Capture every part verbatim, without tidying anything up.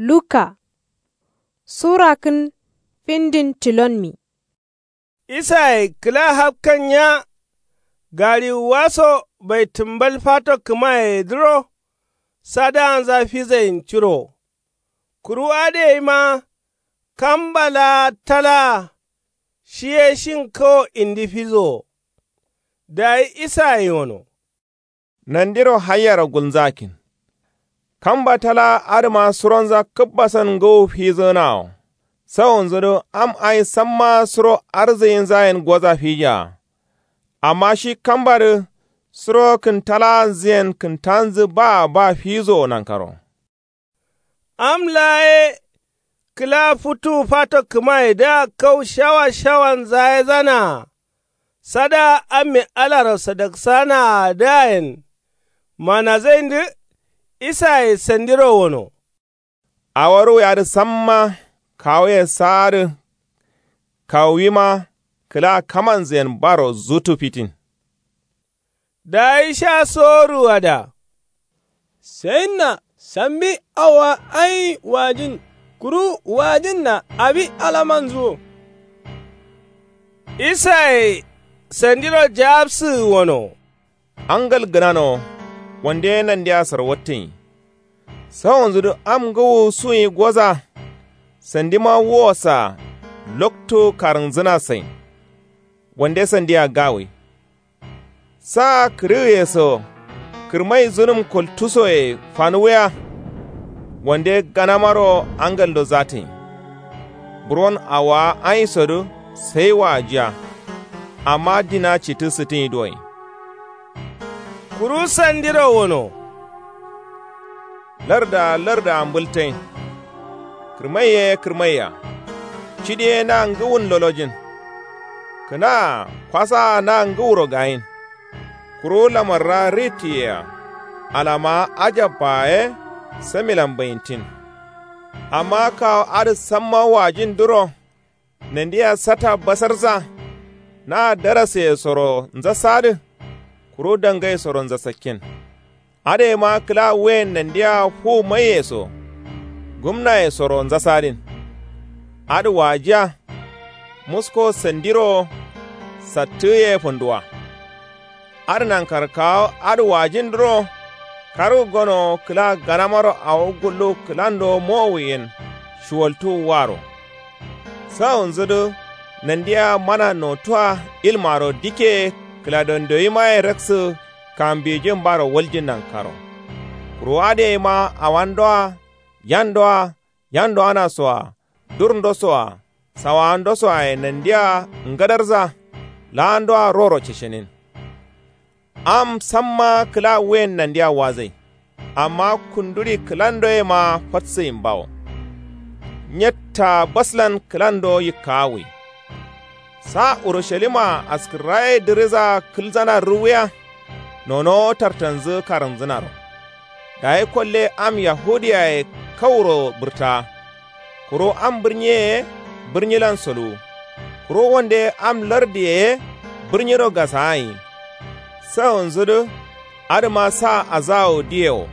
Luka sura kǝn findin tilonmi. Isaye kǝla hapkan nya. Gariwuwa so baitǝmbal fato kǝmayedǝro sadaanza fizain curo. Kuru adǝ yeima kamba laa talaa shi ye shin kawo indi fizowo. Dayi isaye wono. Nandiro haiyaro gulnzakin. Kamba talaa adǝma suronza kǝbbasan ngǝwu fizǝgǝnawo. Sawunzudǝ am ai samma suro arzǝyinzayen goza fijaa. Amma shi kambadǝ suro kǝntalaanzǝyen kǝntanzǝ baa ba fizowo nankaro. Am laa ye kǝla futuwu fato kǝmayedǝa kau shawa shawanza yezanaa. Sadaa amme alaro sadaksanaa dǝayen. Manazaindǝ isaye sandiro wono. Awo ruwuyadǝ samma kawuye saadǝ. Kawuwima kǝla kamanzǝyen baro zutu fitin. Dayi sha soruwada. Sayinna sambi awowa ain wajin kuru wajinna abi alamanzuwo. Isaye sandiro jabsǝgǝ wono. Angal gǝnano wande nandiya sarwattǝnyi. Sawonzudǝ am ngǝwu suyi goza. Sandima wuwosaa loktu karǝnzǝna sain. Wande sandiya gawai. Sa kǝrǝgǝye so kǝrmai zunǝm koltusoye fanuwuya. Wande ganamaro angaldo zatǝnyi. Buron awowa ainsodǝ sai wajiya. Amma dina cittǝ sǝttǝnyi duwoin. Kuru sandiro wono. Larda larda mbǝltain. Kǝrmai ye kǝrmaiya. Cidi ye na ngǝwun lolojin. Kǝnaa kwasaa na ngǝwuro gayin. Kuru lamarra ritiyea. Alama ajabba ye samilan bayintin. Amma kawo adǝ samma wajindǝro. Nandiya sata basarza. Na daraseye soro nzasadǝ. Kuru dangaye soro nzasakkin. Adǝ yema kǝla wuyen nandiya fu maiye so. Gumnaye soro nzasadin. Adǝ wajiya. Musko sandiro sattǝ ye funduwa. Adǝ nankaro kawo adǝ wajindǝro. Kargǝ gonowo kǝla ganamaro awo gullu kǝlando mowu yen. Shuwaltuwu waro. Sawunzudǝ nandiya mana notuwa ilmaro dike kǝladondoyimaye raksǝ. Kambijin baro waljin nankaro. Kuru adǝ yeima awandoa yandoa yandoanasoa. Durndosoa sawawandosoaye nandiya ngadarza. Laandoa roro ceshenin. Am samma kǝla wuyen nandiya wazai. Amma kunduri kǝlandoyema fatsǝyin bawo. Nyetta baslan kǝlando yikkawui. Sa urushalima askǝrraye dǝriza kǝlzana ruwuya. Nonowo tartanzǝ karǝnzǝnaro. Dayi kolle am yahudiyaye kauro bǝrtaa. Kuru am bǝrnyiye ye bǝrnyilan soluwu. Kuru wande am lardiye ye bǝrnyiro gasaanyi. Sawunzudǝ adǝma sa azawu diye wo.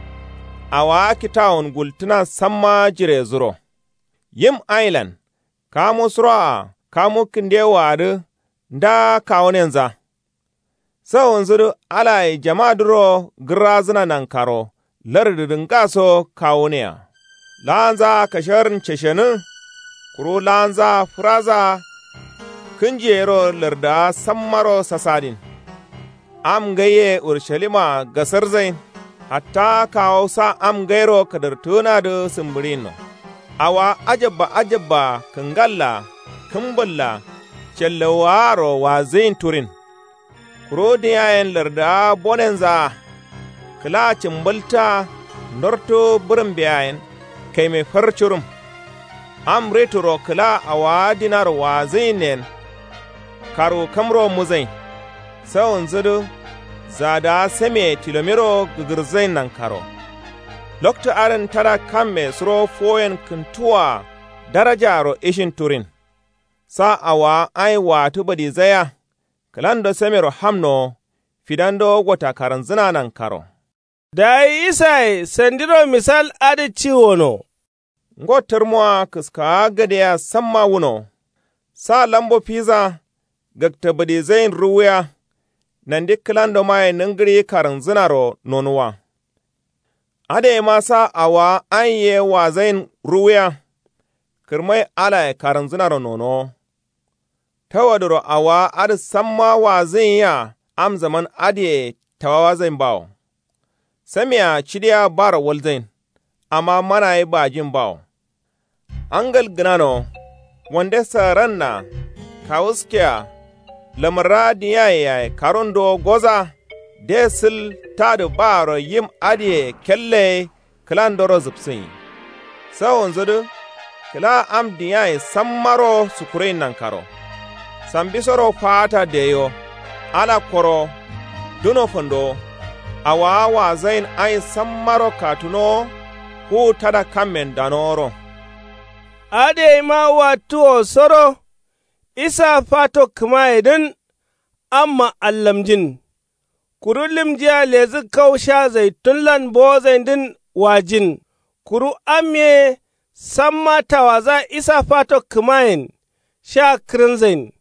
Awowa kitawun gultǝna samma jirezuro. Yim ailan kamu suroa kamu kǝndewoadǝ nda kawunenza. Sawunzudǝ alaye jamadǝro gǝrrazǝna nankaro lardǝdǝ ngaso kawunea. Laanzaa kasharǝn ceshenǝ. Kuru laanzaa fǝraza. Kǝnjiyero lardǝa sammaro sasadin. Am ngaiye urushalima gasarzain. Hatta kawo sa am ngairo kadartǝgǝnadǝ sǝmbǝɍinno. Awowa ajabba ajabba kǝngalla kǝmbǝlla callawwaaro wazǝyin turin. Kuru diyayen lardǝa bonenzaa. Kǝla cǝmbǝltǝa ndortu bǝrǝmbeyayen kaime far curum. Am rituro kǝla awowa dinaro wazǝyinyen. Karu kamro muzain. Sawunzudǝ zadǝa sameye tilomiro gǝgǝrzain nankaro. Loktu adǝn tada kamme suro fuwoyen kǝntuwwa darajaaro ishin turin. Sa awowa ain watǝ badizaya. Kǝlando samero hamnowo. Fidando gota karanzǝna nankaro. Dayi isaye sandiro misal adǝ ci wono. Ngo tǝrmoa kǝskaawa gǝdea samma wuno. Sa lambo fiza gakta bǝdizain ruwuya. Nandi kǝlandomaye nǝngǝri karǝnzǝnaro nonuwa. Adǝ yema sa awowa ain ye wazain ruwuya. Kǝrmai alaye karǝnzǝnaro nonowo. Tawadǝro awowa adǝ samma wazǝnyiya. Am zaman adǝye tawawazain bawo. Samia cidiya baro walzain. Amma mana ye bajin bawo. Angal gǝnano. Wande saaranna. Kawuskea. Lamara diyaye yaye karundowo goza. De sǝl tadǝ baaro yim adǝye kelle ye. Kǝlandoro zǝpsǝnyi. Sawonzudǝ. Kǝla am diyaye sammaro sukuroin nankaro. Sambisoro faata deyo. Ala koro. Duno fandowo. Awowa wazain ain sammaro katunowo. Kuwu tada kammen danoworo. Adǝ yeima wattuwo soro. Isa fato kǝmayedǝn. Amma allamjin. Kuru limjiya ledǝ kau sha zaitun lan bowozaindǝn wajin. Kuru am ye samma tawaza isa fato kǝmayen. Sha kǝrǝnzain.